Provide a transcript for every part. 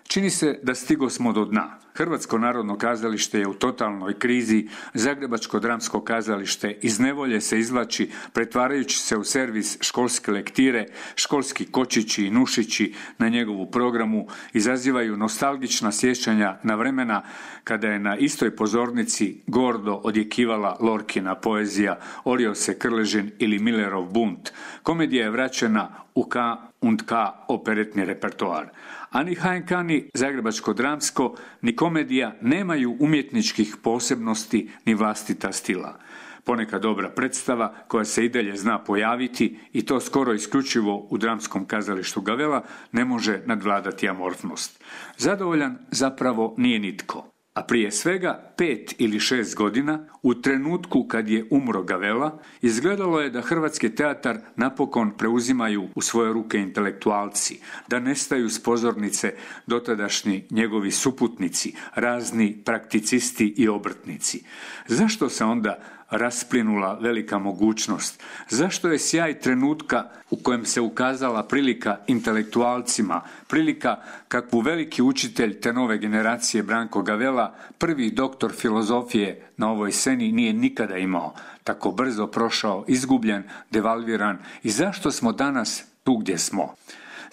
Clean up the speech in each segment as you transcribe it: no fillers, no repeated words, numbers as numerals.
Čini se da stigosmo do dna. Hrvatsko narodno kazalište je u totalnoj krizi, Zagrebačko dramsko kazalište iz nevolje se izvlači pretvarajući se u servis školske lektire, školski kočići i nušići na njegovu programu izazivaju nostalgična sjećanja na vremena kada je na istoj pozornici gordo odjekivala Lorkina poezija, orio se Krležin ili Millerov bunt. Komedija je vraćena u K&K operetni repertoar. A ni HNK ni Zagrebačko dramsko ni komedija nemaju umjetničkih posebnosti ni vlastita stila. Ponekad dobra predstava koja se i dalje zna pojaviti i to skoro isključivo u dramskom kazalištu Gavella ne može nadvladati amorfnost. Zadovoljan zapravo nije nitko. A prije svega 5 ili 6 godina, u trenutku kad je umro Gavella, izgledalo je da hrvatski teatar napokon preuzimaju u svoje ruke intelektualci, da nestaju s pozornice dotadašnji njegovi suputnici, razni prakticisti i obrtnici. Zašto se onda rasplinula velika mogućnost? Zašto je sjaj trenutka u kojem se ukazala prilika intelektualcima, prilika kakvu veliki učitelj te nove generacije Branko Gavella, prvi doktor filozofije na ovoj sceni, nije nikada imao, tako brzo prošao, izgubljen, devalviran i zašto smo danas tu gdje smo?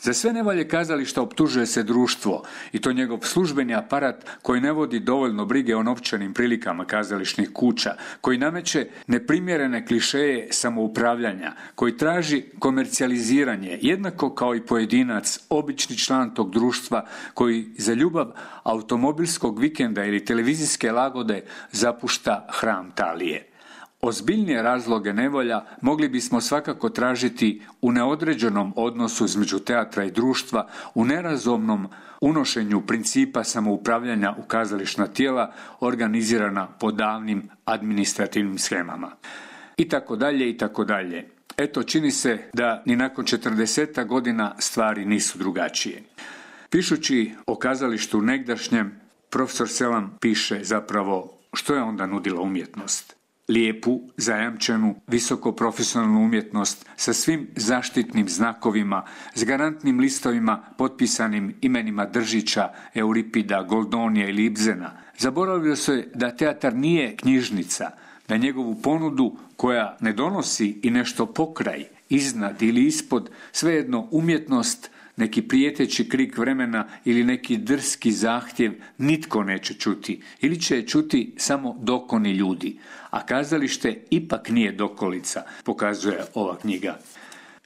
Za sve nevolje kazališta optužuje se društvo i to njegov službeni aparat koji ne vodi dovoljno brige o novčanim prilikama kazališnih kuća, koji nameće neprimjerene klišeje samoupravljanja, koji traži komercijaliziranje, jednako kao i pojedinac, obični član tog društva koji za ljubav automobilskog vikenda ili televizijske lagode zapušta hram talije. Ozbiljnije razloge nevolja mogli bismo svakako tražiti u neodređenom odnosu između teatra i društva, u nerazumnom unošenju principa samoupravljanja u kazališna tijela organizirana po davnim administrativnim shemama. I tako dalje, i tako dalje. Eto, čini se da ni nakon 40 godina stvari nisu drugačije. Pišući o kazalištu negdašnjem, profesor Selam piše zapravo što je onda nudila umjetnost. Lijepu, zajamčenu, visoko profesionalnu umjetnost sa svim zaštitnim znakovima, s garantnim listovima potpisanim imenima Držića, Euripida, Goldonija ili Ibsena. Zaboravio se da teatar nije knjižnica, da njegovu ponudu koja ne donosi i nešto pokraj, iznad ili ispod, svejedno umjetnost, neki prijeteći krik vremena ili neki drski zahtjev nitko neće čuti ili će je čuti samo dokoni ljudi, a kazalište ipak nije dokolica, pokazuje ova knjiga.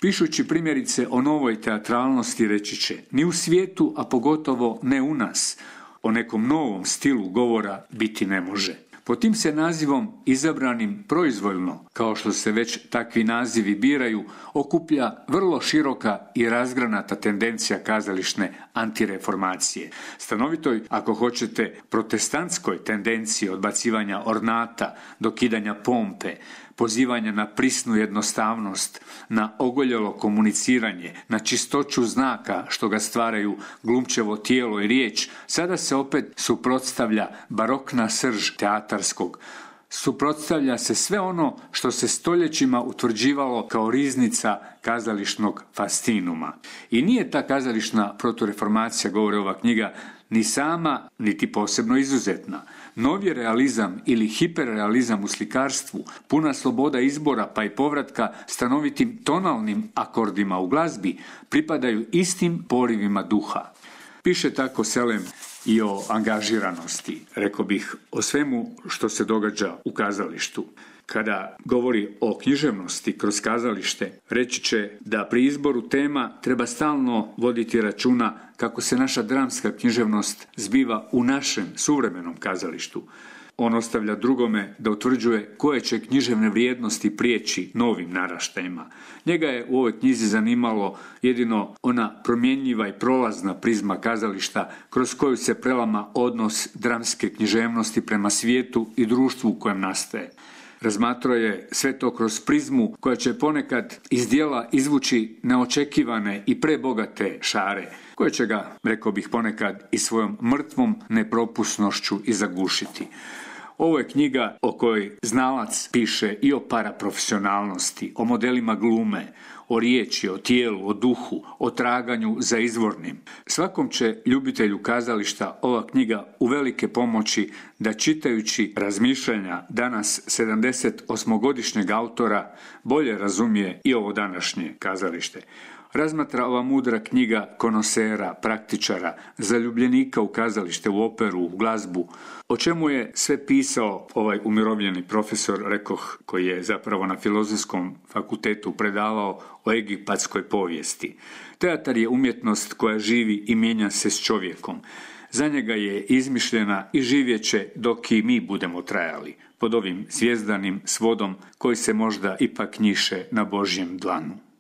Pišući primjerice o novoj teatralnosti reći će: ni u svijetu, a pogotovo ne u nas, o nekom novom stilu govora biti ne može. Pod tim se nazivom, izabranim proizvoljno, kao što se već takvi nazivi biraju, okuplja vrlo široka i razgranata tendencija kazališne antireformacije. Stanovitoj, ako hoćete, protestantskoj tendenciji odbacivanja ornata, dokidanja pompe, pozivanja na prisnu jednostavnost, na ogoljelo komuniciranje, na čistoću znaka što ga stvaraju glumčevo tijelo i riječ, sada se opet suprotstavlja barokna srž teatarskog. Suprotstavlja se sve ono što se stoljećima utvrđivalo kao riznica kazališnog fascinuma. I nije ta kazališna protureformacija, govori ova knjiga, ni sama, niti posebno izuzetna. Novi realizam ili hiperrealizam u slikarstvu, puna sloboda izbora pa i povratka stanovitim tonalnim akordima u glazbi, pripadaju istim porivima duha. Piše tako Selem i o angažiranosti, rekao bih, o svemu što se događa u kazalištu. Kada govori o književnosti kroz kazalište, reći će da pri izboru tema treba stalno voditi računa kako se naša dramska književnost zbiva u našem suvremenom kazalištu. On ostavlja drugome da utvrđuje koje će književne vrijednosti prijeći novim naraštajima. Njega je u ovoj knjizi zanimalo jedino ona promjenjiva i prolazna prizma kazališta kroz koju se prelama odnos dramske književnosti prema svijetu i društvu u kojem nastaje. Razmatrao je sve to kroz prizmu koja će ponekad iz djela izvući neočekivane i prebogate šare, koje će ga, rekao bih, ponekad i svojom mrtvom nepropusnošću i zagušiti. Ovo je knjiga o kojoj znalac piše i o paraprofesionalnosti, o modelima glume, o riječi, o tijelu, o duhu, o traganju za izvornim. Svakom će ljubitelju kazališta ova knjiga uvelike pomoći da čitajući razmišljanja danas 78-godišnjeg autora bolje razumije i ovo današnje kazalište. Razmatra ova mudra knjiga konosera, praktičara, zaljubljenika u kazalište, u operu, u glazbu, o čemu je sve pisao ovaj umirovljeni profesor, rekoh, koji je zapravo na Filozofskom fakultetu predavao o egipatskoj povijesti. Teatar je umjetnost koja živi i mijenja se s čovjekom. Za njega je izmišljena i živjet će dok i mi budemo trajali, pod ovim zvjezdanim svodom koji se možda ipak njiše na Božjem dlanu.